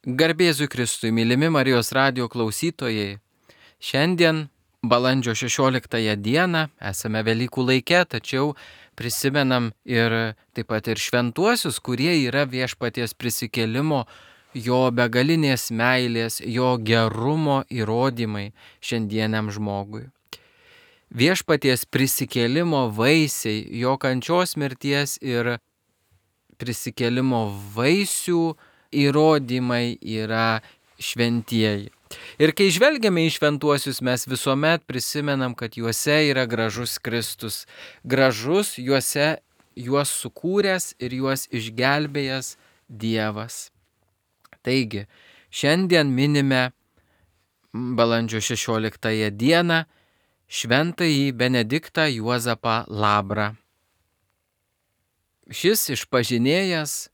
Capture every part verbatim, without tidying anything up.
Garbėzui Kristui, mylimi Marijos radijo klausytojai. Šiandien, balandžio šešioliktąją dieną, esame Velykų laike, tačiau prisimenam ir taip pat ir šventuosius, kurie yra viešpaties prisikėlimo, jo begalinės meilės, jo gerumo įrodymai šiandieniam žmogui. Viešpaties prisikėlimo vaisiai, jo kančios, mirties ir prisikėlimo vaisių įrodymai yra šventieji. Ir kai žvelgiame į šventuosius, mes visuomet prisimenam, kad juose yra gražus Kristus. Gražus juose juos sukūręs ir juos išgelbėjęs Dievas. Taigi, šiandien minime balandžio šešioliktąją dieną šventąjį Benediktą Juozapą Labrą. Šis išpažinėjas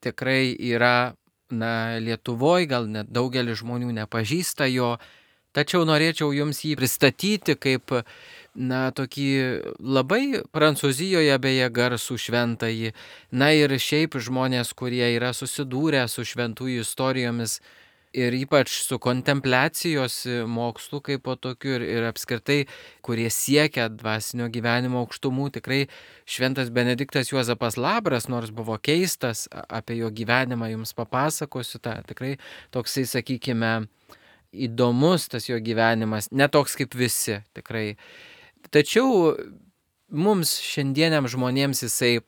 tikrai yra, na, Lietuvoje, gal net daugelis žmonių nepažįsta jo, tačiau norėčiau jums jį pristatyti kaip, na, tokį labai Prancūzijoje beje garsų šventąjį, na ir šiaip žmonės, kurie yra susidūrę su šventųjų istorijomis ir ypač su kontempliacijos mokslu kaip po tokiu ir, ir apskritai, kurie siekia dvasinio gyvenimo aukštumų, tikrai šventas Benediktas Juozapas Labras, nors buvo keistas, apie jo gyvenimą jums papasakosiu, ta, tikrai toksai, sakykime, įdomus tas jo gyvenimas, netoks kaip visi, tikrai. Tačiau mums šiandieniam žmonėms jisai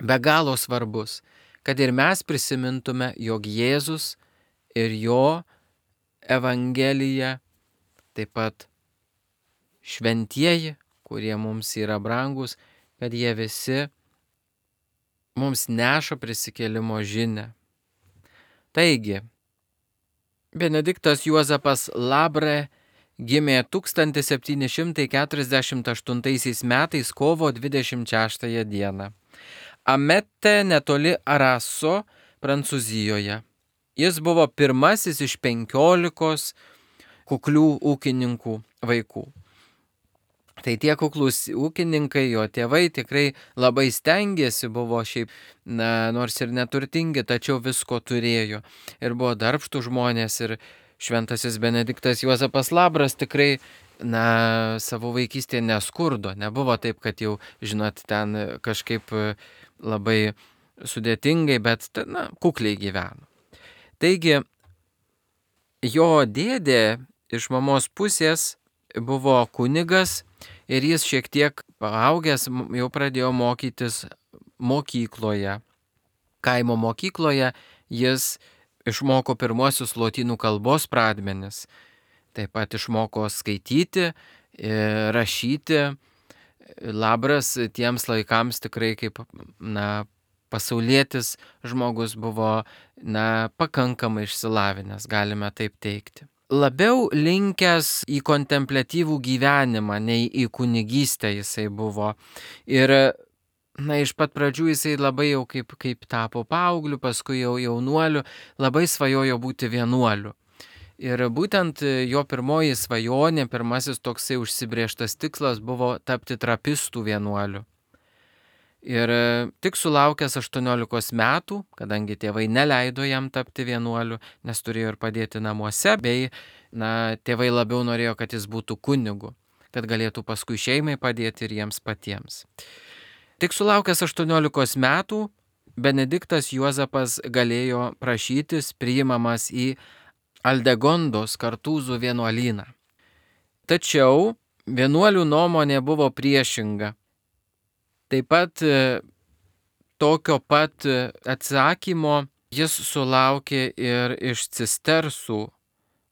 be galo svarbus, kad ir mes prisimintume, jog Jėzus ir jo Evangelija, taip pat šventieji, kurie mums yra brangus, kad jie visi mums neša prisikėlimo žinią. Taigi, Benediktas Juozapas Labre gimė tūkstantis septyni šimtai keturiasdešimt aštuntaisiais metais kovo dvidešimt šeštąją dieną. Amete netoli Araso, Prancūzijoje. Jis buvo pirmasis iš penkiolikos kuklių ūkininkų vaikų. Tai tie kuklūs ūkininkai, jo tėvai tikrai labai stengėsi, buvo šiaip, na, nors ir neturtingi, tačiau visko turėjo. Ir buvo darbštų žmonės ir šventasis Benediktas Juozapas Labras tikrai, na, savo vaikystėje neskurdo. Nebuvo taip, kad jau, žinot, ten kažkaip labai sudėtingai, bet, na, kukliai gyveno. Taigi, jo dėdė iš mamos pusės buvo kunigas ir jis šiek tiek paaugęs jau pradėjo mokytis mokykloje. Kaimo mokykloje jis išmoko pirmosius lotynų kalbos pradmenis. Taip pat išmoko skaityti, rašyti. Labras tiems laikams tikrai kaip, na, pasaulietis žmogus buvo, na, pakankamai išsilavinęs, galime taip teikti. Labiau linkęs į kontempliatyvų gyvenimą, nei į kunigystę jisai buvo. Ir, na, iš pat pradžių jisai labai jau kaip, kaip tapo paaugliu, paskui jau jaunuoliu, labai svajojo būti vienuoliu. Ir būtent jo pirmoji svajonė, pirmasis toksai užsibrėžtas tikslas buvo tapti trapistų vienuoliu. Ir tik sulaukęs aštuoniolikos metų, kadangi tėvai neleido jam tapti vienuoliu, nes turėjo ir padėti namuose, bei, na, tėvai labiau norėjo, kad jis būtų kunigu, kad galėtų paskui šeimai padėti ir jiems patiems. Tik sulaukęs aštuoniolikos metų, Benediktas Juozapas galėjo prašytis priimamas į Aldegondos Kartūzų vienuolyną. Tačiau vienuolių nuomonė buvo priešinga. Taip pat tokio pat atsakymo jis sulaukė ir iš Cistersų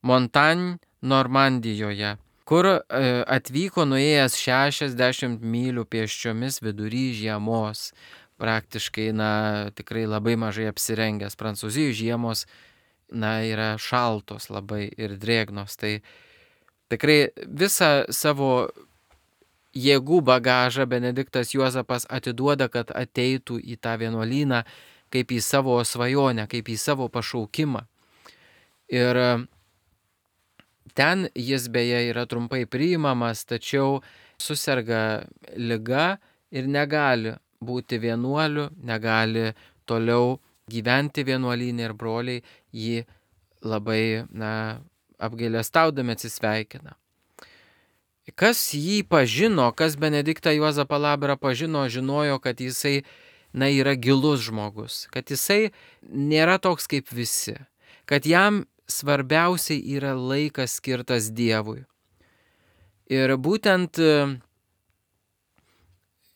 Montagne, Normandijoje, kur atvyko nuėjęs šešiasdešimt mylių pėsčiomis vidury žiemos. Praktiškai, na, tikrai labai mažai apsirengęs. Prancūzijos žiemos, na, yra šaltos labai ir drėgnos. Tai tikrai visą savo jėgų bagažą Benediktas Juozapas atiduoda, kad ateitų į tą vienuolyną kaip į savo svajonę, kaip į savo pašaukimą. Ir ten jis beje yra trumpai priimamas, tačiau suserga liga ir negali būti vienuoliu, negali toliau gyventi vienuolyne ir broliai jį labai, na, apgailestaudami atsisveikina. Kas jį pažino, kas Benediktą Juozapą Labrą pažino, žinojo, kad jisai, na, yra gilus žmogus, kad jisai nėra toks kaip visi, kad jam svarbiausiai yra laikas skirtas Dievui. Ir būtent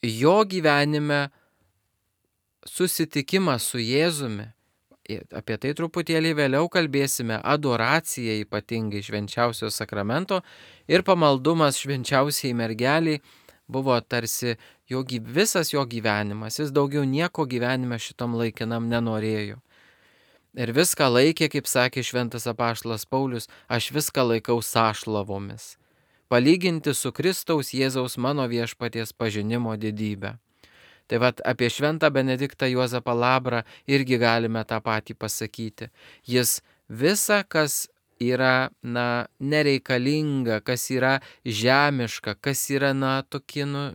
jo gyvenime susitikimas su Jėzumi, apie tai truputėlį vėliau kalbėsime, adoracija ypatingai švenčiausio sakramento ir pamaldumas švenčiausiai mergeliai buvo tarsi jo, visas jo gyvenimas, jis daugiau nieko gyvenime šitam laikinam nenorėjo. Ir viską laikė, kaip sakė šventas apaštalas Paulius, aš viską laikau sąšlavomis, palyginti su Kristaus Jėzaus mano viešpaties pažinimo didybę. Tai vat apie šventą Benediktą Juozapą Labrą irgi galime tą patį pasakyti. Jis visa, kas yra, na, nereikalinga, kas yra žemiška, kas yra, na, tokie, nu,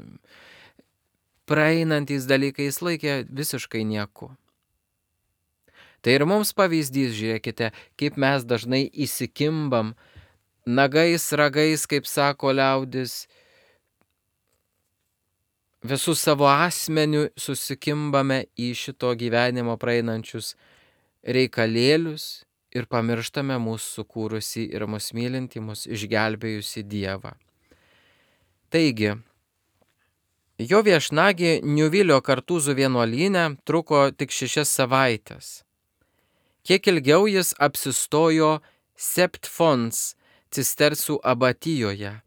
praeinantys dalykai, jis laikė visiškai nieku. Tai ir mums pavyzdys, žiūrėkite, kaip mes dažnai įsikimbam nagais, ragais, kaip sako liaudis, visų savo asmenių susikimbame į šito gyvenimo praeinančius reikalėlius ir pamirštame mūsų sukūrusi ir mus mylinti, mus išgelbėjusi Dievą. Taigi, jo viešnagė Niuvilio Kartūzų vienuolyne truko tik šešias savaitės. Kiek ilgiau jis apsistojo Sept Fons cistersų abatijoje,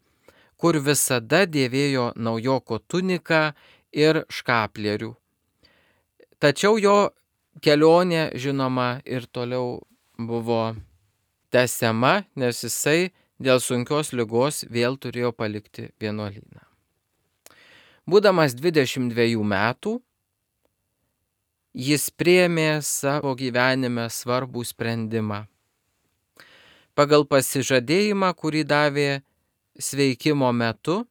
kur visada dėvėjo naujoko tuniką ir škaplierių. Tačiau jo kelionė, žinoma, ir toliau buvo tęsiama, nes jisai dėl sunkios ligos vėl turėjo palikti vienuolyną. Būdamas dvidešimt dviejų metų, jis priėmė savo gyvenime svarbų sprendimą. Pagal pasižadėjimą, kurį davė sveikimo metu,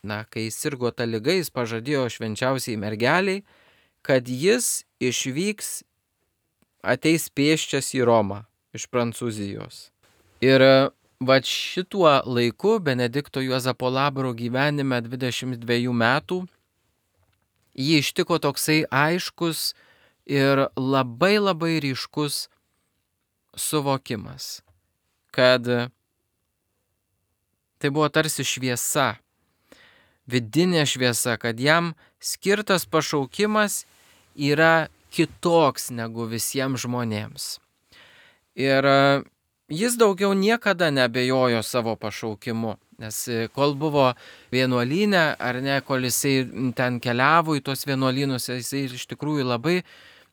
na, kai jis sirgo ta liga, jis pažadėjo švenčiausiai mergeliai, kad jis išvyks, ateis pėsčias į Romą iš Prancūzijos. Ir va šituo laiku Benedikto Juozapo Labro gyvenime dvidešimt dviejų metų jį ištiko toksai aiškus ir labai labai ryškus suvokimas, kad tai buvo tarsi šviesa, vidinė šviesa, kad jam skirtas pašaukimas yra kitoks negu visiems žmonėms. Ir jis daugiau niekada neabejojo savo pašaukimu, nes kol buvo vienuolyne, ar ne, kol jisai ten keliavo į tos vienuolynus, jisai iš tikrųjų labai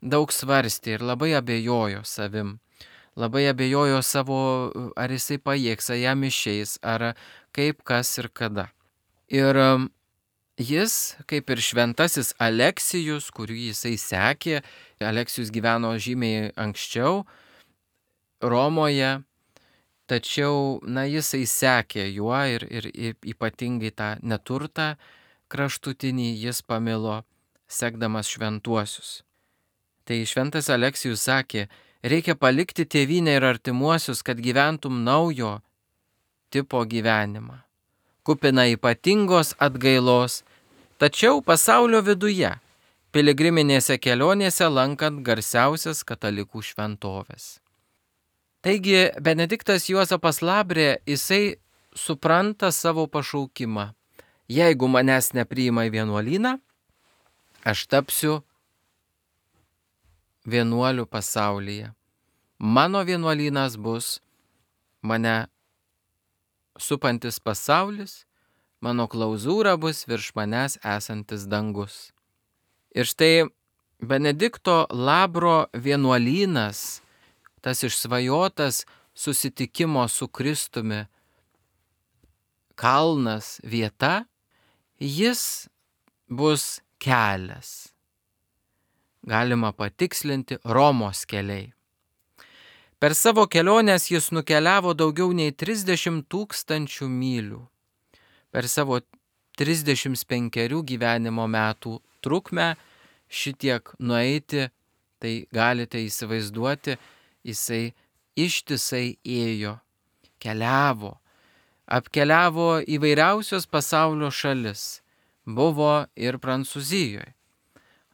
daug svarstė ir labai abejojo savim. Labai abejojo savo, ar jisai pajėgs, ar jam išeis, ar kaip, kas ir kada. Ir jis, kaip ir šventasis Aleksijus, kurį jisai sekė, Aleksijus gyveno žymiai anksčiau Romoje, tačiau, na, jisai sekė juo ir, ir, ir ypatingai tą neturtą kraštutinį jis pamilo, sekdamas šventuosius. Tai šventas Aleksijus sakė, reikia palikti tėvynę ir artimuosius, kad gyventum naujo tipo gyvenimą, kupina ypatingos atgailos, tačiau pasaulio viduje, piligriminėse kelionėse lankant garsiausias katalikų šventoves. Taigi Benediktas Juozapas Labrė, jisai supranta savo pašaukimą. Jeigu manęs nepriima į vienuolyną, aš tapsiu vienuolių pasaulyje. Mano vienuolynas bus mane supantis pasaulis, mano klauzūra bus virš manęs esantis dangus. Ir štai Benedikto Labro vienuolynas, tas išsvajotas susitikimo su Kristumi kalnas, vieta, jis bus kelias. Galima patikslinti Romos keliai. Per savo keliones jis nukeliavo daugiau nei trisdešimt tūkstančių mylių. Per savo trisdešimt penkerių gyvenimo metų trukmę šitiek nueiti Tai galite įsivaizduoti, jisai ištisai ėjo, keliavo, apkeliavo įvairiausios pasaulio šalis. Buvo ir Prancūzijoje,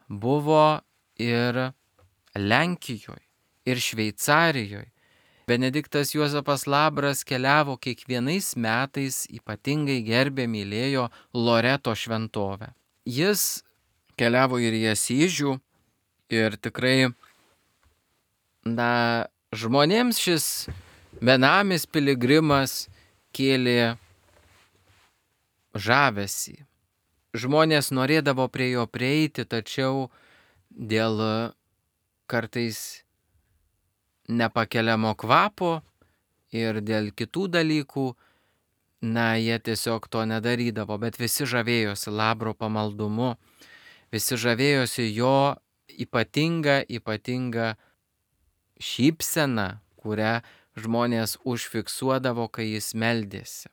buvo ir Lenkijoje, ir Šveicarijoje. Benediktas Juozapas Labras keliavo kiekvienais metais, ypatingai gerbė, mylėjo Loreto šventovę. Jis keliavo ir į Asyžių ir tikrai, na, žmonėms šis benamis piligrimas kėlė žavesį. Žmonės norėdavo prie jo prieiti, tačiau dėl kartais nepakeliamo kvapo ir dėl kitų dalykų, na, jie tiesiog to nedarydavo, bet visi žavėjosi Labro pamaldumu, visi žavėjosi jo ypatinga, ypatinga šypsena, kurią žmonės užfiksuodavo, kai jis meldėsi.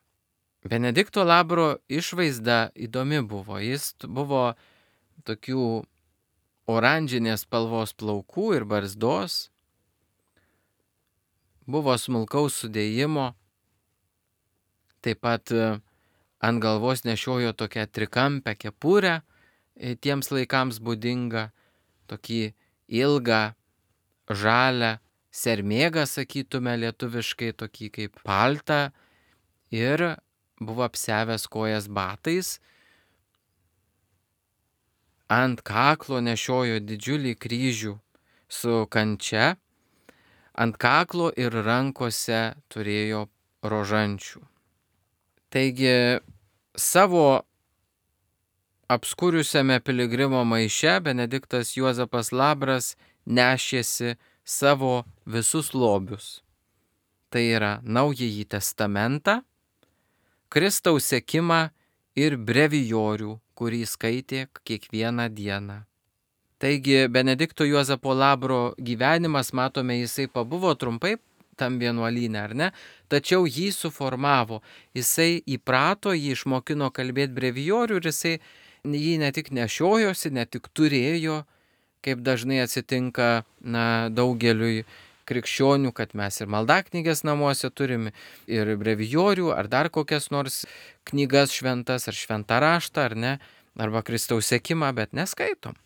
Benedikto Labro išvaizda įdomi buvo. Jis buvo tokių oranžinės spalvos plaukų ir barzdos, buvo smulkaus sudėjimo, taip pat ant galvos nešiojo tokią trikampę kepurę, tiems laikams būdinga, tokį ilgą, žalią sermėgą, sakytume lietuviškai, tokį kaip paltą, ir buvo apsiavęs kojas batais. Ant kaklo nešiojo didžiulį kryžių su kančia, ant kaklo ir rankose turėjo rožančių. Taigi savo apskuriusiame piligrimo maiše Benediktas Juozapas Labras nešėsi savo visus lobius. Tai yra Naująjį testamentą, Kristaus sekimą ir brevijorių, kurį skaitė kiekvieną dieną. Taigi Benedikto Juozapo Labro gyvenimas, matome, jisai pabuvo trumpai tam vienuolyne, ar ne? Tačiau jį suformavo, jisai įprato, jį išmokino kalbėti brevijorių ir jisai jį ne tik nešiojosi, ne tik turėjo, kaip dažnai atsitinka, na, daugeliui krikščionių, kad mes ir maldaknygės namuose turim, ir brevijorių, ar dar kokias nors knygas šventas, ar šventą raštą, ar ne, arba Kristaus sekimą, bet neskaitom.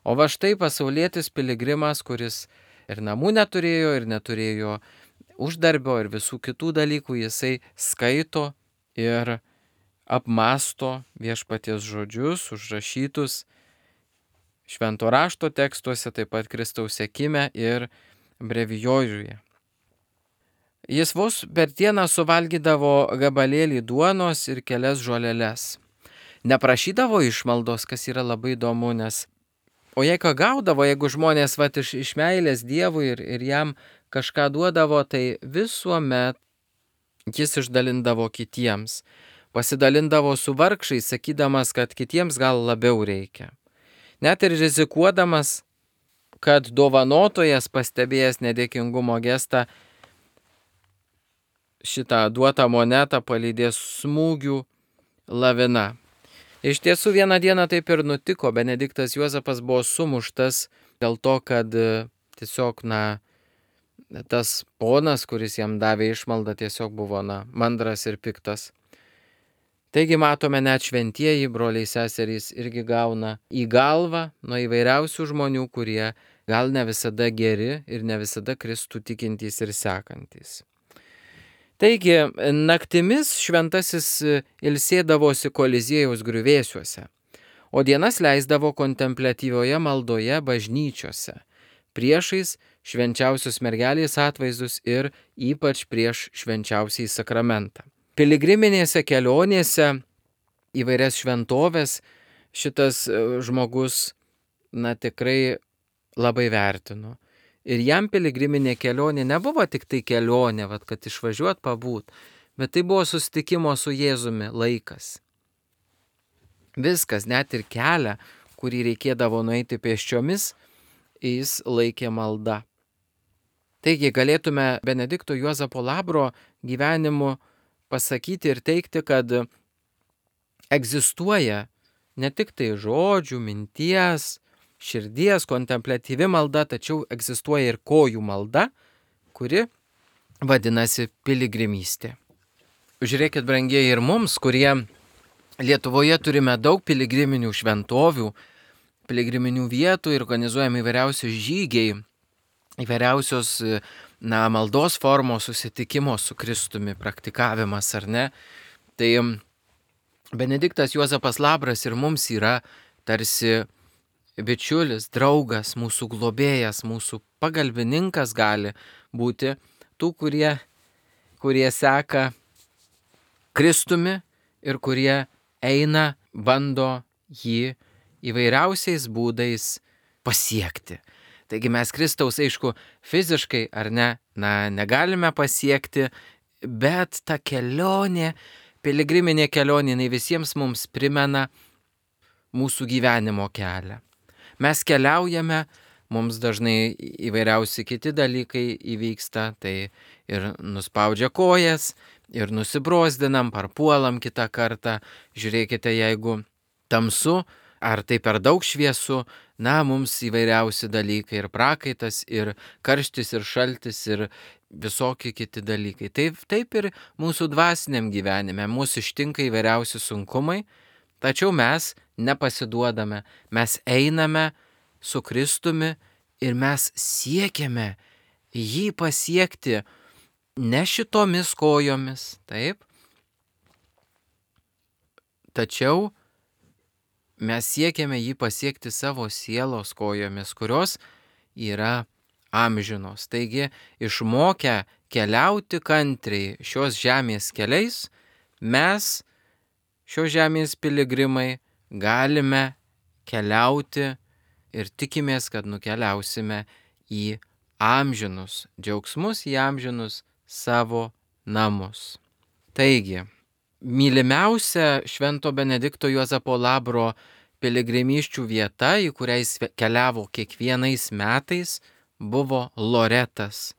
O va štai pasaulietis piligrimas, kuris ir namų neturėjo, ir neturėjo uždarbio, ir visų kitų dalykų, jisai skaito ir apmasto viešpaties žodžius, užrašytus švento rašto tekstuose, taip pat Kristaus sekime ir brevijoriuje. Jis vos per dieną suvalgydavo gabalėlį duonos ir kelias žoleles. Neprašydavo išmaldos, kas yra labai įdomu, nes o jei ką gaudavo, jeigu žmonės vat, iš, iš meilės Dievui ir, ir jam kažką duodavo, tai visuomet jis išdalindavo kitiems. Pasidalindavo su vargšais, sakydamas, kad kitiems gal labiau reikia. Net ir rizikuodamas, kad dovanotojas pastebėjęs nedėkingumo gestą šitą duotą monetą palydės smūgių lavina. Iš tiesų vieną dieną taip ir nutiko. Benediktas Juozapas buvo sumuštas dėl to, kad tiesiog, na, tas ponas, kuris jam davė išmaldą, tiesiog buvo, na, mandras ir piktas. Taigi matome, net šventieji broliai seserys irgi gauna į galvą nuo įvairiausių žmonių, kurie gal ne visada geri ir ne visada Kristų tikintys ir sekantys. Taigi, naktimis šventasis ilsėdavosi Koliziejaus griuvėsiuose, o dienas leisdavo kontempliatyvioje maldoje bažnyčiose, priešais švenčiausios mergelės atvaizdus ir ypač prieš švenčiausiąjį sakramentą. Piligriminėse kelionėse įvairias šventovės šitas žmogus, na, tikrai labai vertino. Ir jam piligriminė kelionė nebuvo tik tai kelionė, vat, kad išvažiuot pabūt, bet tai buvo susitikimo su Jėzumi laikas. Viskas, net ir kelią, kurį reikėdavo nueiti pėsčiomis, jis laikė malda. Taigi galėtume Benedikto Juozapo Labro gyvenimu pasakyti ir teikti, kad egzistuoja ne tik tai žodžių, minties, širdies, kontempliatyvi malda, tačiau egzistuoja ir kojų malda, kuri vadinasi piligrimystė. Žiūrėkit, brangieji, ir mums, kurie Lietuvoje turime daug piligriminių šventovių, piligriminių vietų ir organizuojami įvairiausios žygiai, įvairiausios na, maldos formos susitikimo su Kristumi praktikavimas, ar ne? Tai Benediktas Juozapas Labras ir mums yra tarsi bičiulis, draugas, mūsų globėjas, mūsų pagalbininkas gali būti tų, kurie, kurie seka Kristumi ir kurie eina, bando jį įvairiausiais būdais pasiekti. Taigi mes Kristaus, aišku, fiziškai ar ne, na, negalime pasiekti, bet ta kelionė, piligriminė kelionė, jinai visiems mums primena mūsų gyvenimo kelią. Mes keliaujame, mums dažnai įvairiausi kiti dalykai įvyksta, tai ir nuspaudžia kojas, ir nusibrozdinam, parpuolam kitą kartą. Žiūrėkite, jeigu tamsu, ar tai per daug šviesu, na, mums įvairiausi dalykai, ir prakaitas, ir karštis, ir šaltis, ir visokie kiti dalykai. Taip, taip ir mūsų dvasiniam gyvenime, mūsų ištinka įvairiausi sunkumai, tačiau mes nepasiduodame, mes einame su Kristumi ir mes siekiame jį pasiekti ne šitomis kojomis, taip, tačiau mes siekiame jį pasiekti savo sielos kojomis, kurios yra amžinos. Taigi, išmokę keliauti kantriai šios žemės keliais, mes, šios žemės piligrimai, galime keliauti ir tikimės, kad nukeliausime į amžinus džiaugsmus, į amžinus savo namus. Taigi, mylimiausia Švento Benedikto Juozapo Labro piligrimysčių vieta, į kurią jis keliavo kiekvienais metais, buvo Loretas.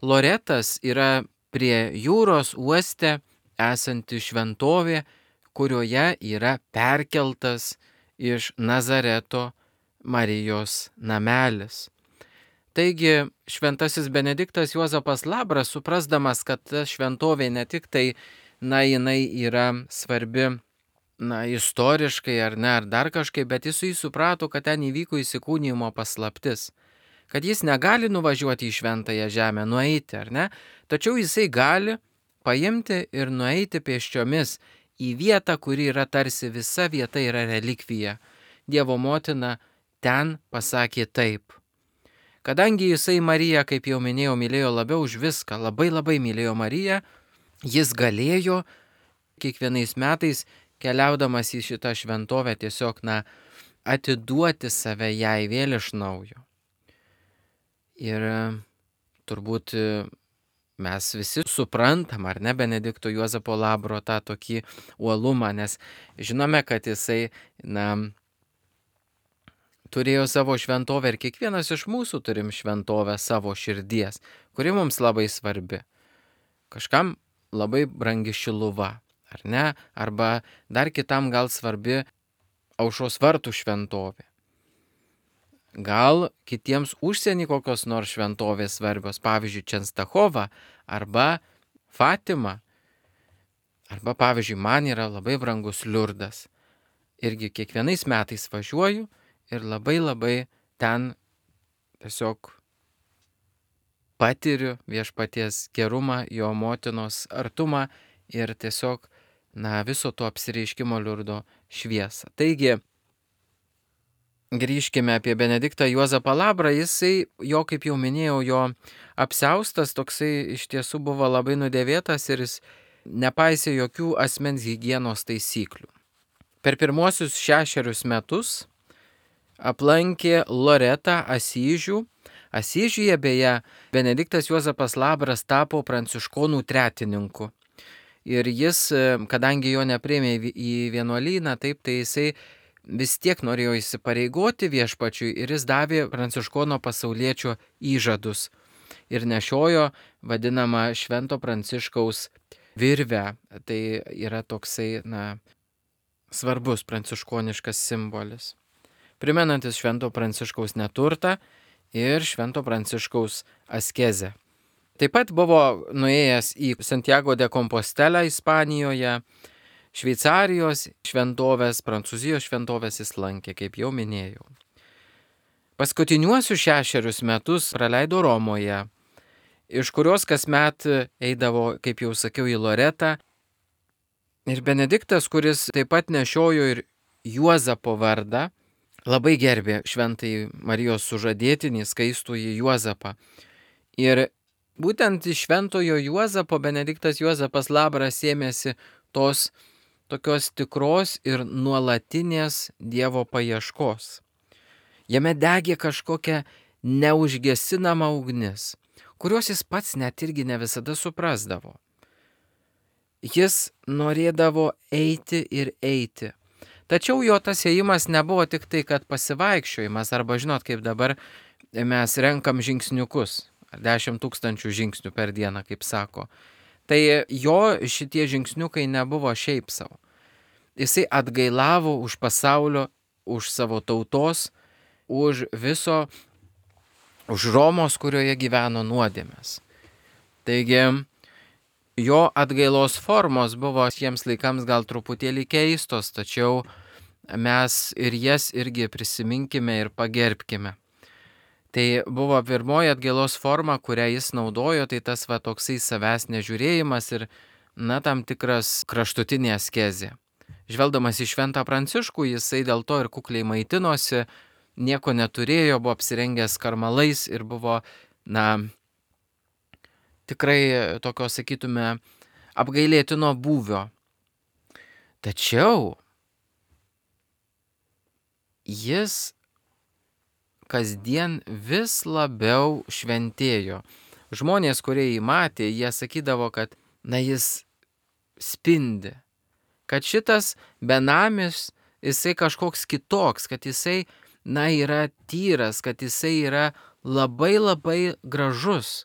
Loretas yra prie jūros uoste esanti šventovė, kurioje yra perkeltas iš Nazareto Marijos namelis. Taigi šventasis Benediktas Juozapas Labras, suprasdamas, kad ta šventovė ne tik tai, na, jinai yra svarbi, na, istoriškai ar ne, ar dar kažkaip, bet jis suprato, kad ten įvyko įsikūnijimo paslaptis, kad jis negali nuvažiuoti į šventąją žemę, nueiti, ar ne, tačiau jisai gali paimti ir nueiti pėsčiomis į vietą, kuri yra tarsi visa vieta yra relikvija. Dievo motina ten pasakė taip. Kadangi jisai Mariją, kaip jau minėjau, mylėjo labiau už viską, labai labai mylėjo Mariją, jis galėjo kiekvienais metais, keliaudamas į šitą šventovę, tiesiog, na, atiduoti save jai vėl iš naujo. Ir turbūt mes visi suprantam, ar ne, Benedikto Juozapo Labro tą tokį uolumą, nes žinome, kad jisai, na, turėjo savo šventovę ir kiekvienas iš mūsų turim šventovę savo širdies, kuri mums labai svarbi. Kažkam labai brangi Šiluva, ar ne? Arba dar kitam gal svarbi Aušros vartų šventovė. Gal kitiems užsienį kokios nors šventovės svarbios, pavyzdžiui, Čenstachova arba Fatima. Arba, pavyzdžiui, man yra labai brangus Liurdas. Irgi kiekvienais metais važiuoju ir labai labai ten tiesiog patiriu viešpaties gerumą, jo motinos artumą ir tiesiog, na, viso to apsireiškimo Liurdo šviesą. Taigi, grįžkime apie Benediktą Juozapą Labrą, jisai, jo, kaip jau minėjau, jo apsiaustas toksai iš tiesų buvo labai nudėvėtas ir jis nepaisė jokių asmens higienos taisyklių. Per pirmuosius šešerius metus aplankė Loretą, Asyžių. Asyžiuje beje Benediktas Juozapas Labras tapo pranciškonų tretininku. Ir jis, kadangi jo nepriėmė į vienuolyną, taip, tai jisai vis tiek norėjo įsipareigoti viešpačiui ir jis davė pranciškono pasauliečio įžadus. Ir nešiojo vadinamą Švento Pranciškaus virvę. Tai yra toksai, na, svarbus pranciškoniškas simbolis. primenantis Švento Pranciškaus neturtą ir Švento Pranciškaus askezę. Taip pat buvo nuėjęs į Santiago de Compostelę Ispanijoje, Šveicarijos šventovės, Prancūzijos šventovės jis lankė, kaip jau minėjau. Paskutiniuosius šešerius metus praleido Romoje, iš kurios kasmet eidavo, kaip jau sakiau, į Loretą. Ir Benediktas, kuris taip pat nešiojo ir Juozapo vardą, labai gerbė šventai Marijos sužadėtinį, skaistųjį Juozapą. Ir būtent iš šventojo Juozapo Benediktas Juozapas Labras ėmėsi tos tokios tikros ir nuolatinės Dievo paieškos. Jame degė kažkokia neužgesinama ugnis, kurios jis pats net irgi ne visada suprasdavo. Jis norėdavo eiti ir eiti. Tačiau jo tas ėjimas nebuvo tik tai, kad pasivaikščiojimas, arba žinot, kaip dabar mes renkam žingsniukus, dešimt tūkstančių žingsnių per dieną, kaip sako. Tai jo šitie žingsniukai nebuvo šiaip savo. Jisai atgailavo už pasaulio, už savo tautos, už viso, už Romos, kurioje gyveno nuodėmės. Taigi, jo atgailos formos buvo jiems laikams gal truputėlį keistos, tačiau mes ir jas irgi prisiminkime ir pagerbkime. Tai buvo pirmoji atgailos forma, kurią jis naudojo, tai tas va toksai savęs nežiūrėjimas ir, na, tam tikras kraštutinė askezė. Žvelgdamas į Šventą Pranciškų, jisai dėl to ir kukliai maitinosi, nieko neturėjo, buvo apsirengęs karmalais ir buvo, na, tikrai tokio, sakytume, apgailėtino būvio. Tačiau jis kasdien vis labiau šventėjo. Žmonės, kurie jį matė, jie sakydavo, kad, na, jis spindi, kad šitas benamis, jisai kažkoks kitoks, kad jisai, na, yra tyras, kad jisai yra labai labai gražus.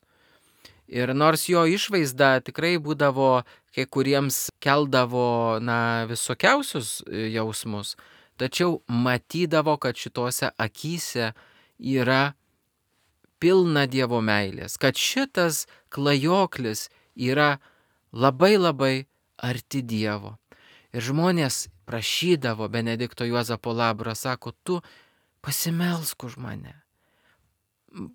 Ir nors jo išvaizda tikrai būdavo, kai kuriems keldavo, na, visokiausius jausmus, tačiau matydavo, kad šitose akyse yra pilna Dievo meilės, kad šitas klajoklis yra labai labai arti Dievo. Ir žmonės prašydavo Benedikto Juozapo Labro, sako, tu pasimelsk už mane.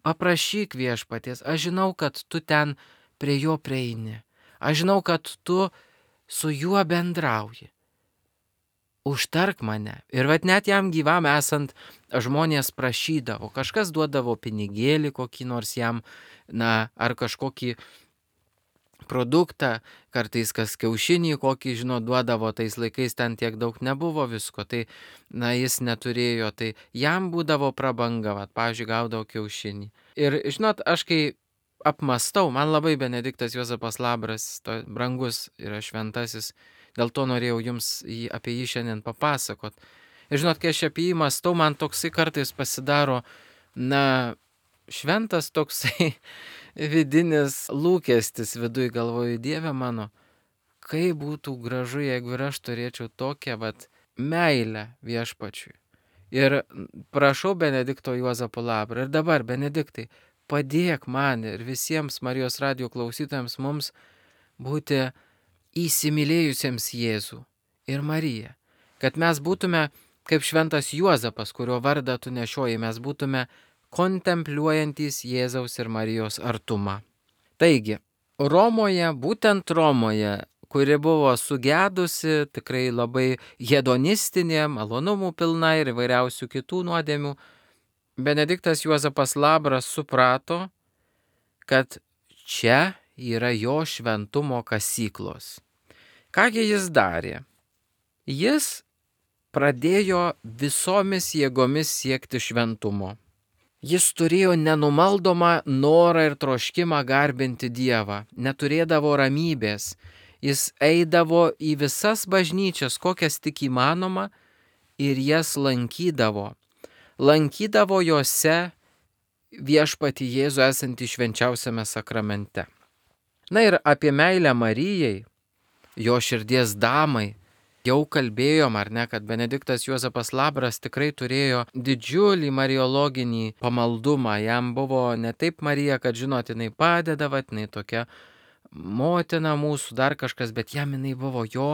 Paprašyk Viešpaties, aš žinau, kad tu ten prie jo prieini. Aš žinau, kad tu su juo bendrauji. Užtark mane. Ir vat net jam gyvam esant žmonės prašydavo. Kažkas duodavo pinigėlį kokį nors jam, na, ar kažkokį produktą, kartais kas kiaušinį kokį, žinot, duodavo, tais laikais ten tiek daug nebuvo visko, tai, na, jis neturėjo, tai jam būdavo prabanga, vat, pavyzdžiui, gaudavo kiaušinį. Ir, žinot, aš kai apmastau, man labai Benediktas Juozapas Labras, to brangus yra šventasis, dėl to norėjau jums jį, apie jį šiandien papasakot. Ir, žinot, kai aš apie jį mastau, man toksai kartais pasidaro, na, šventas toksai vidinis lūkestis viduj, galvoju, Dieve mano, kaip būtų gražu, jeigu ir aš turėčiau tokią vat meilę Viešpačiui. Ir prašau Benedikto Juozapo Labrą. Ir dabar, Benediktai, padėk man ir visiems Marijos radijo klausytojams mums būti įsimylėjusiems Jėzų ir Mariją. Kad mes būtume kaip šventas Juozapas, kurio vardą tu nešioji, mes būtume kontempliuojantys Jėzaus ir Marijos artumą. Taigi, Romoje, būtent Romoje, kuri buvo sugedusi, tikrai labai hedonistinė, malonumų pilna ir įvairiausių kitų nuodėmių, Benediktas Juozapas Labras suprato, kad čia yra jo šventumo kasyklos. Kągi jis darė? Jis pradėjo visomis jėgomis siekti šventumo. Jis turėjo nenumaldomą norą ir troškimą garbinti Dievą, neturėdavo ramybės. Jis eidavo į visas bažnyčias, kokias tik įmanoma, ir jas lankydavo. Lankydavo jose Viešpatį Jėzų esantį švenčiausiame sakramente. Na ir apie meilę Marijai, jo širdies damai, Jau kalbėjom, ar ne, kad Benediktas Juozapas Labras tikrai turėjo didžiulį mariologinį pamaldumą. Jam buvo ne taip Marija, kad žinot, jinai padeda, vat, jinai tokia motina mūsų, dar kažkas, bet jam jinai buvo jo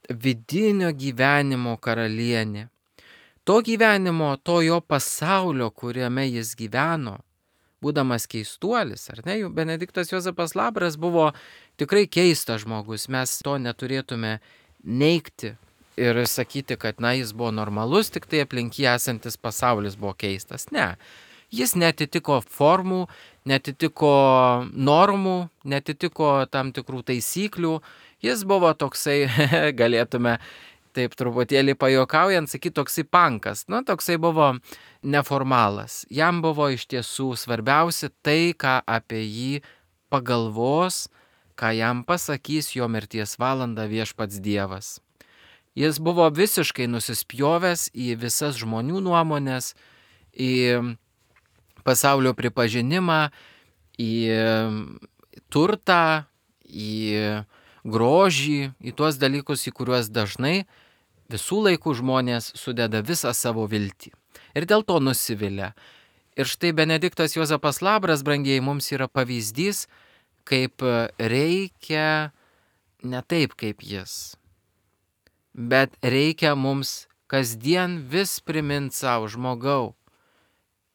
vidinio gyvenimo karalienė. To gyvenimo, to jo pasaulio, kuriame jis gyveno, būdamas keistuolis, ar ne, Benediktas Juozapas Labras buvo tikrai keistas žmogus, mes to neturėtume neigti ir sakyti, kad na, jis buvo normalus, tik tai aplink jį esantis pasaulis buvo keistas. Ne, jis netitiko formų, netitiko normų, netitiko tam tikrų taisyklių, jis buvo toksai, galėtume taip truputėlį pajuokaujant, sakyti, toksai pankas, nu, toksai buvo neformalas. Jam buvo iš tiesų svarbiausia tai, ką apie jį pagalvos, ką jam pasakys jo mirties valandą viešpats Dievas. Jis buvo visiškai nusispjovęs į visas žmonių nuomonės, į pasaulio pripažinimą, į turtą, į grožį, į tuos dalykus, į kuriuos dažnai visų laikų žmonės sudeda visą savo viltį. Ir dėl to nusivilia. Ir štai Benediktas Juozapas Labras, brangieji, mums yra pavyzdys, kaip reikia ne taip kaip jis, bet reikia mums kasdien vis primint savo, žmogau,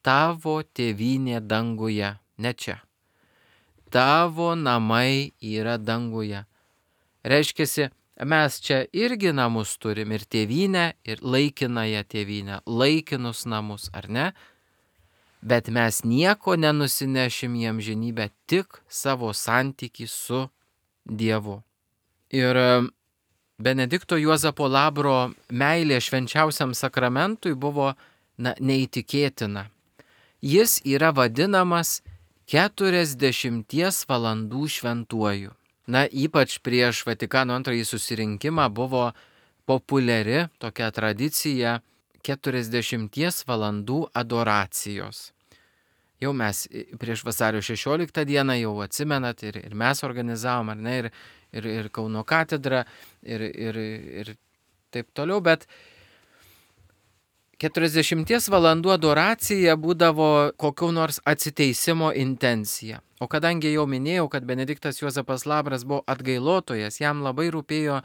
tavo tėvynė danguje, ne čia. Tavo namai yra danguje. Reiškiasi, mes čia irgi namus turim, ir tėvynę, ir laikinąją tėvynę, laikinus namus, ar ne? Bet mes nieko nenusinešim į amžinybę, tik savo santykį su Dievu. Ir Benedikto Juozapo Labro meilė švenčiausiam sakramentui buvo na, neįtikėtina. Jis yra vadinamas keturiasdešimties valandų šventuoju. Na, ypač prieš Vatikano antrąjį susirinkimą buvo populiari tokia tradicija keturiasdešimties valandų adoracijos. Jau mes prieš vasario šešioliktą dieną jau atsimenat ir, ir mes organizavom, ar ne, ir, ir, ir Kauno katedra, ir, ir, ir taip toliau, bet keturiasdešimties valandų adoracija būdavo kokiu nors atsiteisimo intencija. O kadangi jau minėjau, kad Benediktas Juozapas Labras buvo atgailotojas, jam labai rūpėjo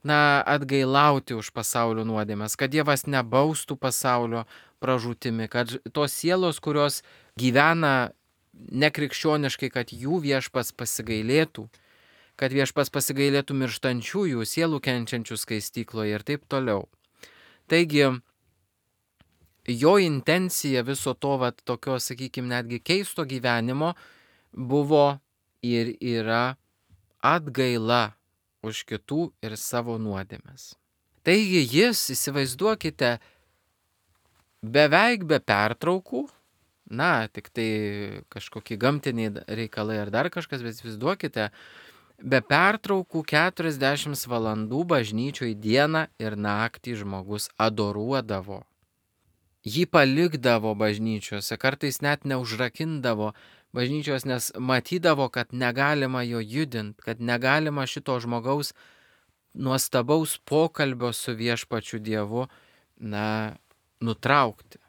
na, atgailauti už pasaulio nuodėmes, kad Dievas nebaustų pasaulio pražūtimi, kad tos sielos, kurios gyvena nekrikščioniškai, kad jų viešpas pasigailėtų, kad viešpas pasigailėtų mirštančiųjų, sielų kenčiančių skaistykloje ir taip toliau. Taigi, jo intencija viso to, vat, tokio, sakykime, netgi keisto gyvenimo buvo ir yra atgaila už kitų ir savo nuodėmes. Taigi jis, įsivaizduokite, beveik be pertraukų, na, tik tai kažkokie gamtiniai reikalai ar dar kažkas, bet įsivaizduokite, be pertraukų keturiasdešimt valandų bažnyčioje dieną ir naktį žmogus adoruodavo. Jį palikdavo bažnyčiose, kartais net neužrakindavo bažnyčios, nes matydavo, kad negalima jo judinti, kad negalima šito žmogaus nuostabaus pokalbio su viešpačiu Dievu, na, nutraukti.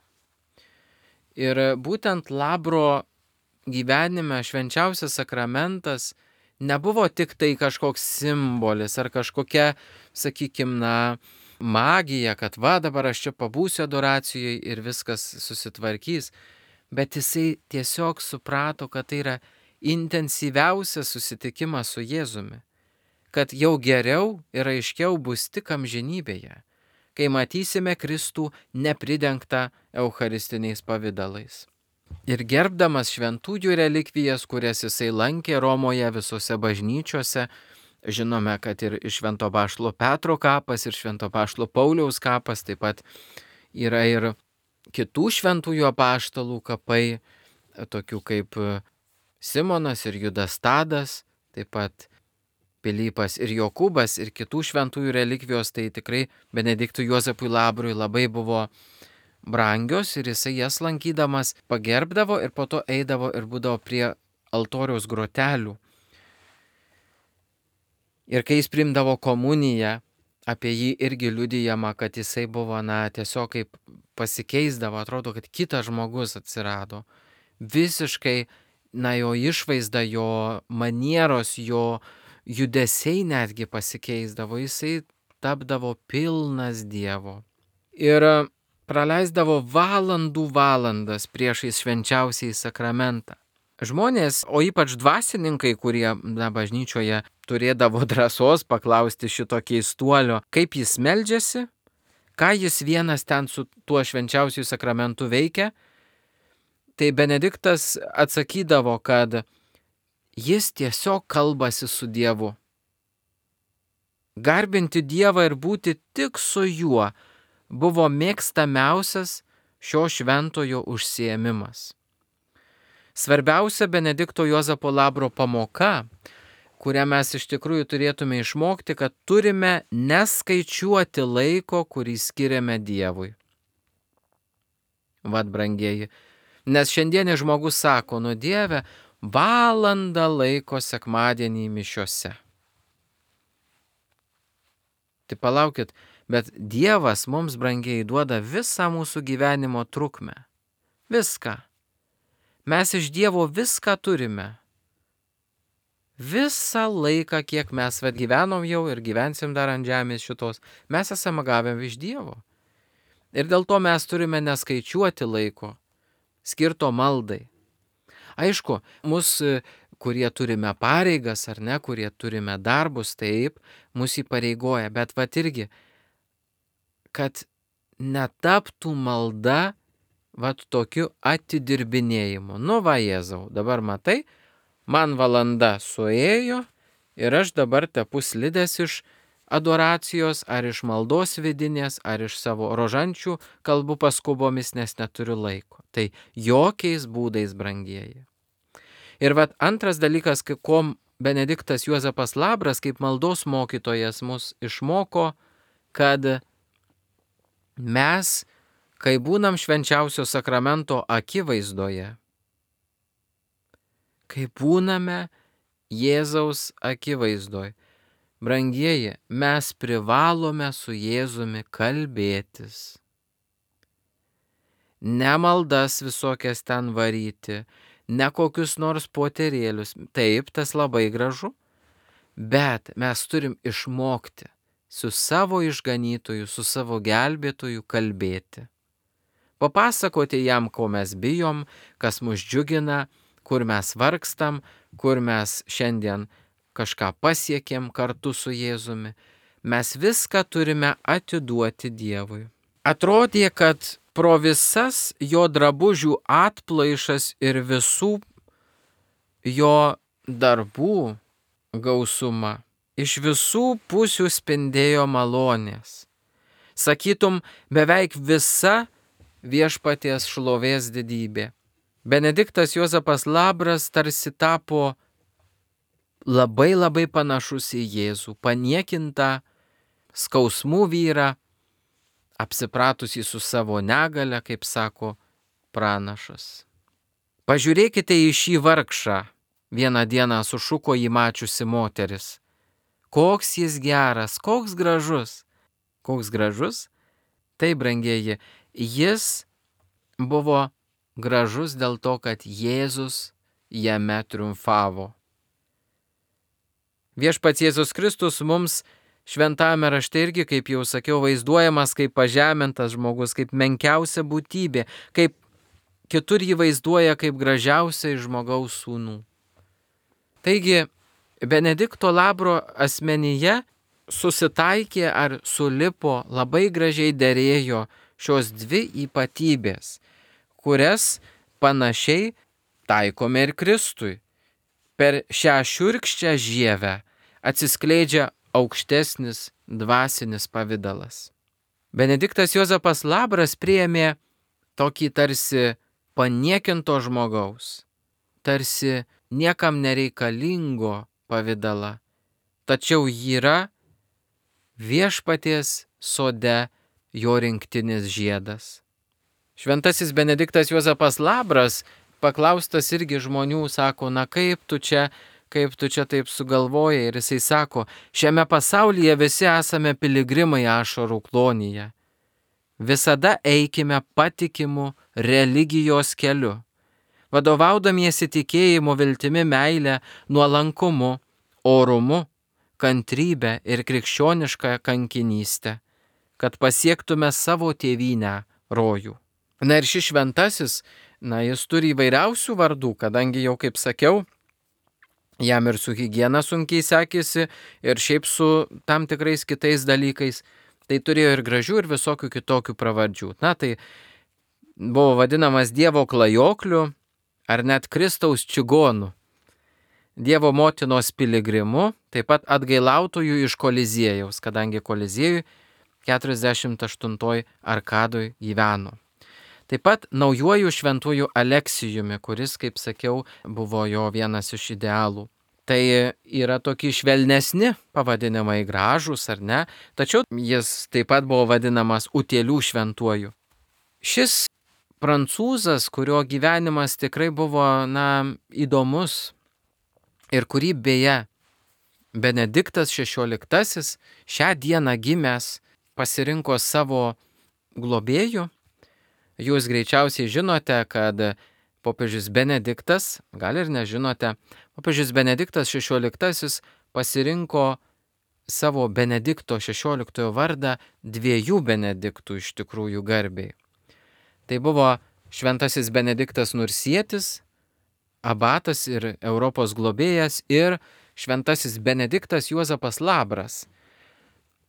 Ir būtent Labro gyvenime švenčiausias sakramentas nebuvo tik tai kažkoks simbolis ar kažkokia, sakykime, na, magija, kad va dabar aš čia pabūsiu adoracijoje ir viskas susitvarkys, bet jisai tiesiog suprato, kad tai yra intensyviausias susitikimas su Jėzumi, kad jau geriau ir aiškiau bus tik amžinybėje, kai matysime Kristų nepridengtą eucharistiniais pavidalais. Ir gerbdamas šventųjų relikvijas, kurias jisai lankė Romoje visose bažnyčiose, žinome, kad ir Švento Apaštalo Petro kapas, ir Švento Apaštalo Pauliaus kapas, taip pat yra ir kitų šventųjų apaštalų kapai, tokių kaip Simonas ir Judas Tadas, taip pat Pilypas ir Jokūbas ir kitų šventųjų relikvijos, tai tikrai Benediktui Juozapui Labrui labai buvo brangios ir jisai jas lankydamas pagerbdavo ir po to eidavo ir būdavo prie altoriaus grotelių. Ir kai jis priimdavo komuniją, apie jį irgi liudijama, kad jisai buvo, na, tiesiog kaip pasikeisdavo, atrodo, kad kitas žmogus atsirado. Visiškai, na, jo išvaizda, jo manieros, jo judesiai netgi pasikeisdavo, jisai tapdavo pilnas Dievo. Ir praleisdavo valandų valandas priešais švenčiausiąjį sakramentą. Žmonės, o ypač dvasininkai, kurie, na, bažnyčioje turėdavo drąsos paklausti šito keistuolio, kaip jis meldžiasi, ką jis vienas ten su tuo švenčiausiųjų sakramentu veikia, tai Benediktas atsakydavo, kad jis tiesiog kalbasi su Dievu. Garbinti Dievą ir būti tik su juo buvo mėgstamiausias šio šventojo užsiėmimas. Svarbiausia Benedikto Juozapo Labro pamoka, kurią mes iš tikrųjų turėtume išmokti, kad turime neskaičiuoti laiko, kurį skiriame Dievui. Vat, brangieji, nes šiandienis žmogus sako, nu Dieve, valandą laiko sekmadienį mišiose. Tai palaukit, bet Dievas mums, brangieji, duoda visą mūsų gyvenimo trukmę. Viską. Mes iš Dievo viską turime. Visą laiką, kiek mes vat gyvenom jau ir gyvensim dar ant žemės šitos, mes esame gavę iš Dievo. Ir dėl to mes turime neskaičiuoti laiko, skirto maldai. Aišku, mus, kurie turime pareigas ar ne, kurie turime darbus, taip, mus įpareigoja, bet vat irgi, kad netaptų malda vat tokiu atidirbinėjimu. Nu va, Jėzau, dabar matai, man valanda suėjo ir aš dabar tepu slides iš adoracijos, ar iš maldos vidinės, ar iš savo rožančių kalbų paskubomis, nes neturiu laiko. Tai jokiais būdais, brangieji. Ir vat antras dalykas, ko Benediktas Juozapas Labras kaip maldos mokytojas mus išmoko, kad mes, kai būnam švenčiausio sakramento akivaizdoje, kai būname Jėzaus akivaizdoje, brangieji, mes privalome su Jėzumi kalbėtis. Ne maldas visokias ten varyti, ne kokius nors poterėlius. Taip, tas labai gražu, bet mes turim išmokti su savo išganytoju, su savo gelbėtoju kalbėti. Papasakoti jam, ko mes bijom, kas mus džiugina, kur mes vargstam, kur mes šiandien kažką pasiekėm kartu su Jėzumi. Mes viską turime atiduoti Dievui. Atrodė, kad pro visas jo drabužių atplaišas ir visų jo darbų gausumą iš visų pusių spindėjo malonės. Sakytum, beveik visa viešpaties šlovės didybė. Benediktas Juozapas Labras tarsi tapo labai labai panašus į Jėzų, paniekintą, skausmų vyrą, apsipratusį su savo negale, kaip sako pranašas. Pažiūrėkite į šį vargšą, vieną dieną sušuko jį mačiusi moteris. Koks jis geras, koks gražus. Koks gražus? Tai, brangieji, jis buvo gražus dėl to, kad Jėzus jame triumfavo. Viešpats Jėzus Kristus mums šventame rašte irgi, kaip jau sakiau, vaizduojamas kaip pažemintas žmogus, kaip menkiausia būtybė, kaip kitur jį vaizduoja kaip gražiausia iš žmogaus sūnų. Taigi, Benedikto Labro asmenyje susitaikė ar sulipo, labai gražiai derėjo šios dvi ypatybės, kurias panašiai taikome ir Kristui. Per šią šiurkščią žievę atsiskleidžia aukštesnis dvasinis pavidalas. Benediktas Juozapas Labras priėmė tokį tarsi paniekinto žmogaus, tarsi niekam nereikalingo pavidalą, tačiau yra viešpaties sode jo rinktinis žiedas. Šventasis Benediktas Juozapas Labras paklaustas irgi žmonių, sako, na kaip tu čia kaip tu čia taip sugalvojai. Ir jisai sako, šiame pasaulyje visi esame piligrimai ašarų klonyje. Visada eikime patikimu religijos keliu, vadovaudamiesi tikėjimu, viltimi, meile, nuolankumu, orumu, kantrybę ir krikščionišką kankinystę, kad pasiektume savo tėvynę rojų. Na ir šis šventasis, na jis turi įvairiausių vardų, kadangi jau kaip sakiau, jam ir su higiena sunkiai sekėsi ir šiaip su tam tikrais kitais dalykais, tai turėjo ir gražių ir visokių kitokių pravardžių. Na tai buvo vadinamas Dievo klajokliu ar net Kristaus čigonu, Dievo motinos piligrimu, taip pat atgailautojų iš Koliziejaus, kadangi Koliziejui keturiasdešimt aštuntoj arkadoj gyveno. Taip pat naujuoju šventuoju Aleksijumi, kuris, kaip sakiau, buvo jo vienas iš idealų. Tai yra tokie švelnesni pavadinimai, gražūs ar ne, tačiau jis taip pat buvo vadinamas Utėlių šventuoju. Šis prancūzas, kurio gyvenimas tikrai buvo, na, įdomus ir kurį beje Benediktas šešioliktasis šią dieną gimęs pasirinko savo globėjų. Jūs greičiausiai žinote, kad popiežius Benediktas, gal ir nežinote, popiežius Benediktas šešioliktasis pasirinko savo Benedikto šešioliktojo vardą dviejų Benediktų iš tikrųjų garbei. Tai buvo šventasis Benediktas Nursietis, abatas ir Europos globėjas, ir šventasis Benediktas Juozapas Labras.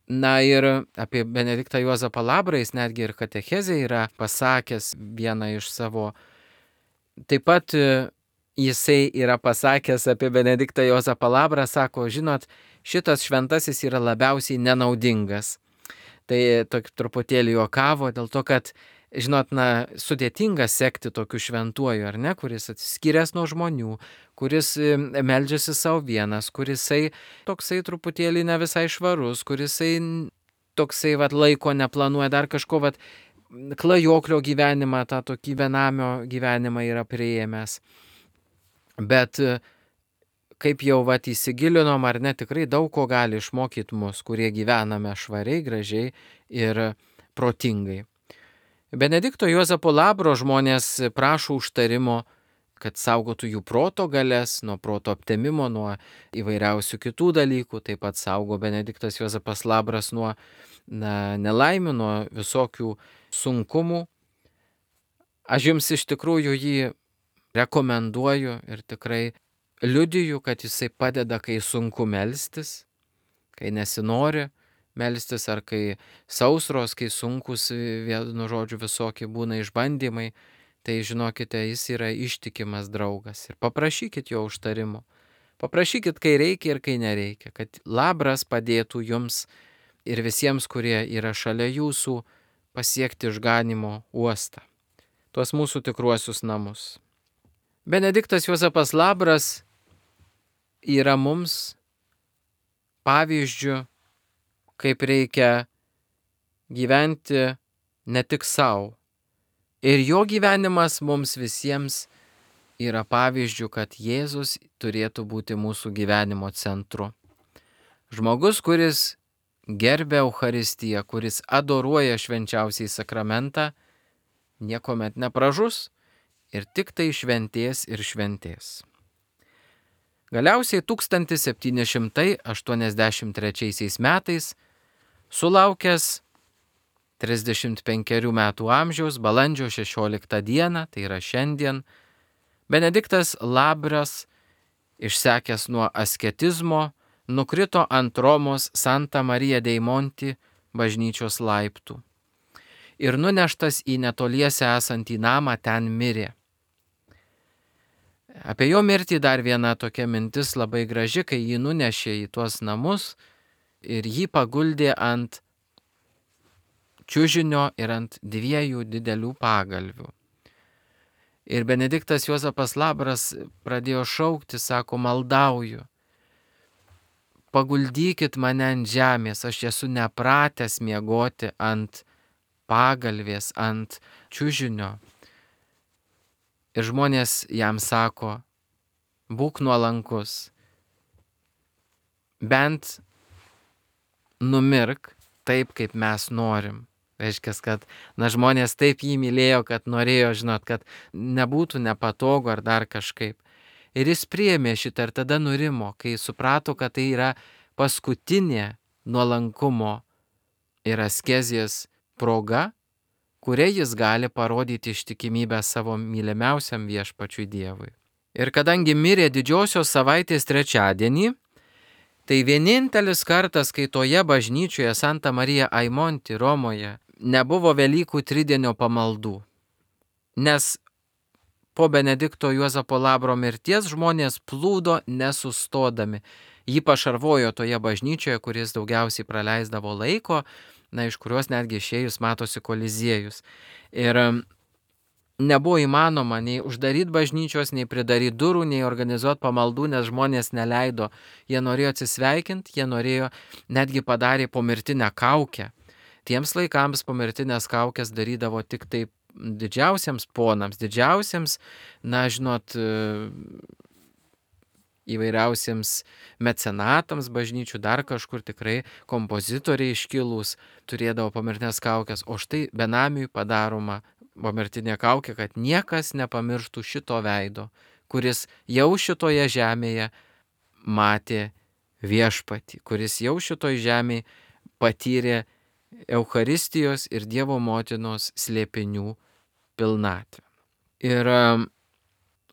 Na ir apie Benediktą Juozapą Labrą jis netgi ir katechezė yra pasakęs vieną iš savo. Taip pat jisai yra pasakęs apie Benediktą Juozapą Labrą, sako, žinot, šitas šventasis yra labiausiai nenaudingas. Tai tok, truputėlį juokavo dėl to, kad, žinot, na, sudėtinga sekti tokiu šventuoju, ar ne, kuris atsiskyręs nuo žmonių, kuris meldžiasi savo vienas, kurisai toksai truputėlį ne visai švarus, kurisai toksai vat, laiko neplanuoja, dar kažko vat, klajoklio gyvenimą, tą tokį benamio gyvenimą yra priėmęs. Bet kaip jau vat, įsigilinom, ar ne, tikrai daug ko gali išmokyti mus, kurie gyvename švariai, gražiai ir protingai. Benedikto Juozapo Labro žmonės prašo užtarimo, kad saugotų jų proto galias, nuo proto aptemimo, nuo įvairiausių kitų dalykų. Taip pat saugo Benediktas Juozapas Labras nuo na, nelaimių, nuo visokių sunkumų. Aš jums iš tikrųjų jį rekomenduoju ir tikrai liudiju, kad jisai padeda, kai sunku melstis, kai nesinori melstis, ar kai sausros, kai sunkus, vienu žodžiu, visokie būna išbandymai. Tai žinokite, jis yra ištikimas draugas ir paprašykit jo užtarimo. Paprašykit, kai reikia ir kai nereikia, kad Labras padėtų jums ir visiems, kurie yra šalia jūsų, pasiekti išganimo uostą, tuos mūsų tikruosius namus. Benediktas Juozapas Labras yra mums pavyzdžių, kaip reikia gyventi ne tik savo. Ir jo gyvenimas mums visiems yra pavyzdžių, kad Jėzus turėtų būti mūsų gyvenimo centru. Žmogus, kuris gerbia Eucharistiją, kuris adoruoja švenčiausiai sakramentą, niekuomet nepražus ir tik tai šventės ir šventės. Galiausiai tūkstantis septyni šimtai aštuoniasdešimt trečiaisiais metais, sulaukęs trisdešimt penkerių metų amžiaus, balandžio šešioliktą dieną, tai yra šiandien, Benediktas Labras, išsekęs nuo asketizmo, nukrito ant Romos Santa Marija dei Monti bažnyčios laiptų ir nuneštas į netoliese esantį namą ten mirė. Apie jo mirtį dar viena tokia mintis labai graži, kai jį nunešė į tuos namus ir jį paguldė ant čiužinio ir ant dviejų didelių pagalvių. Ir Benediktas Juozapas Labras pradėjo šaukti, sako, maldauju, paguldykit mane ant žemės, aš esu nepratęs miegoti ant pagalvės, ant čiužinio. Ir žmonės jam sako, būk nuolankus, bent numirk taip, kaip mes norim. Reiškia, kad na, žmonės taip jį mylėjo, kad norėjo, žinot, kad nebūtų nepatogu ar dar kažkaip. Ir jis priėmė šitą ir tada nurimo, kai suprato, kad tai yra paskutinė nuolankumo ir askezijos proga, kuria jis gali parodyti ištikimybę savo mylimiausiam viešpačiui Dievui. Ir kadangi mirė didžiosios savaitės trečiadienį, tai vienintelis kartas, kai toje bažnyčioje Santa Marija Aimonti Romoje nebuvo Velykų tridienio pamaldų. Nes po Benedikto Juozapo Labro mirties žmonės plūdo nesustodami. Jį pašarvojo toje bažnyčioje, kuris daugiausiai praleisdavo laiko, na, iš kurios netgi išėjus matosi Koliziejus. Ir nebuvo įmanoma nei uždaryti bažnyčios, nei pridaryti durų, nei organizuoti pamaldų, nes žmonės neleido. Jie norėjo atsisveikinti, jie norėjo, netgi padarė pomirtinę kaukę. Tiems laikams pomirtinės kaukės darydavo tik taip didžiausiams ponams, didžiausiams, na, žinot, įvairiausiems mecenatams bažnyčių, dar kažkur tikrai kompozitoriai iškilūs turėdavo pomirtinės kaukės, o štai benamiui padaroma pomirtinė kaukė, kad niekas nepamirštų šito veido, kuris jau šitoje žemėje matė viešpatį, kuris jau šitoje žemėje patyrė Eucharistijos ir Dievo motinos slėpinių pilnatvę. Ir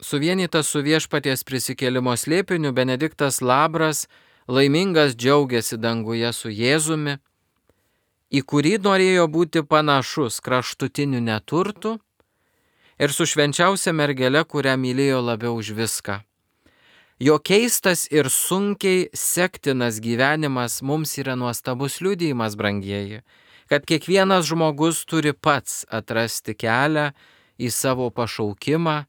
suvienytas su viešpaties prisikėlimo slėpiniu, Benediktas Labras laimingas džiaugiasi danguje su Jėzumi, į kurį norėjo būti panašus kraštutiniu neturtu ir su švenčiausia mergele, kurią mylėjo labiau už viską. Jo keistas ir sunkiai sektinas gyvenimas mums yra nuostabus liudijimas, brangieji, kad kiekvienas žmogus turi pats atrasti kelią į savo pašaukimą,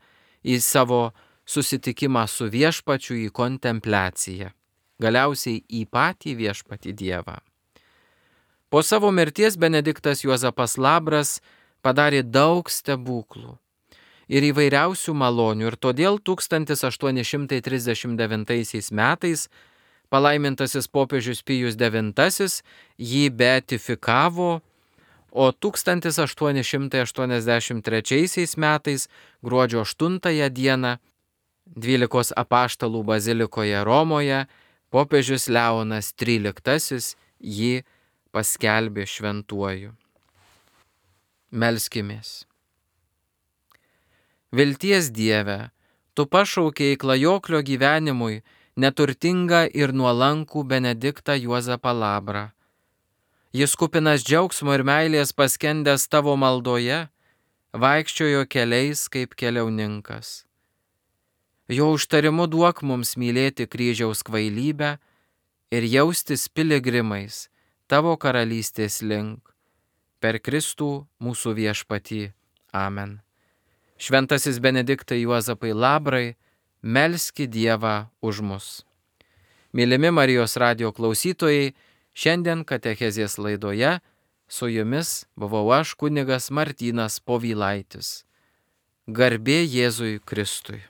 į savo susitikimą su viešpačiu, į kontempliaciją, galiausiai į patį viešpatį Dievą. Po savo mirties Benediktas Juozapas Labras padarė daug stebuklų ir įvairiausių malonių, ir todėl tūkstantis aštuoni šimtai trisdešimt devintaisiais metais palaimintasis popiežius Pijus devintasis jį beatifikavo, o tūkstantis aštuoni šimtai aštuoniasdešimt trečiaisiais metais gruodžio aštuntąją dieną dvylikos apaštalų bazilikoje Romoje popiežius Leonas tryliktasis jį paskelbė šventuoju. Melskimės. Vilties Dieve, tu pašaukei klajoklio gyvenimui neturtingą ir nuolankų Benediktą Juozapą Labrą. Jis kupinas džiaugsmo ir meilės paskendęs tavo maldoje, vaikščiojo keliais kaip keliauninkas. Jo užtarimu duok mums mylėti kryžiaus kvailybę ir jaustis piligrimais tavo karalystės link. Per Kristų mūsų viešpatį. Amen. Šventasis Benediktai Juozapai Labrai, melski Dievą už mus. Mylimi Marijos radijo klausytojai, šiandien katechezės laidoje su jumis buvau aš, kunigas Martynas Povilaitis. Garbė Jėzui Kristui.